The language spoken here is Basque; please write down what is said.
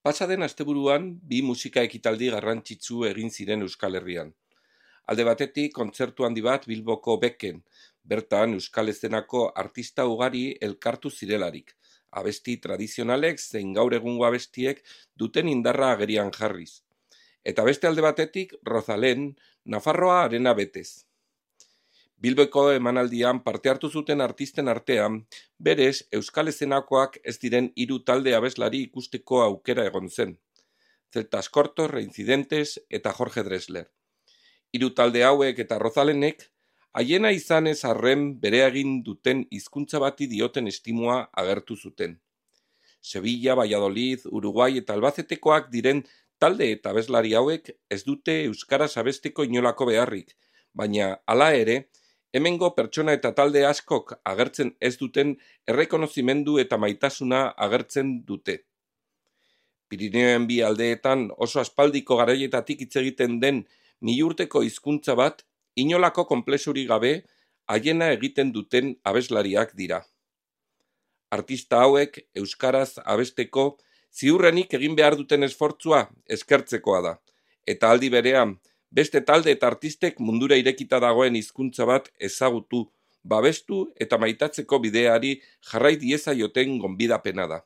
Pasa den asteburuan bi musika ekitaldi garrantzitsu egin ziren Euskal Herrian. Alde batetik, kontzertu handi bat Bilboko Beken, bertan Euskal Eszenako artista ugari elkartu zirelarik, abesti tradizionalek zein gaur egungo abestiek duten indarra agerian jarriz. Eta beste alde batetik, Rozalen, Nafarroa arena betez. Bilboko emanaldian parte hartu zuten artisten artean, berez Euskal Eszenakoak ez diren 3 talde abeslari ikusteko aukera egon zen. Celtas Cortos, Reincidentes eta Jorge Drexler. 3 talde hauek eta Rozalenek, haiena izanez arren bere egin duten hizkuntza bati dioten estimua agertu zuten. Sevilla, Valladolid, Uruguai eta Albacetekoak diren talde eta abeslari hauek ez dute euskaraz abesteko inolako beharrik, baina hala ere, hemengo pertsona eta talde askok agertzen ez duten errekonozimendu eta maitasuna agertzen dute. Pirineoen bi aldeetan oso aspaldiko garaietatik hitz egiten den 1000 urteko hizkuntza bat, inolako konplexurik gabe, haiena egiten duten abeslariak dira. Artista hauek euskaraz abesteko ziurrenik egin behar duten esfortzua eskertzekoa da, eta aldi berean, beste talde eta artistek mundura irekita dagoen hizkuntza bat ezagutu, babestu eta maitatzeko bideari jarrai diezaioten gonbidapena da.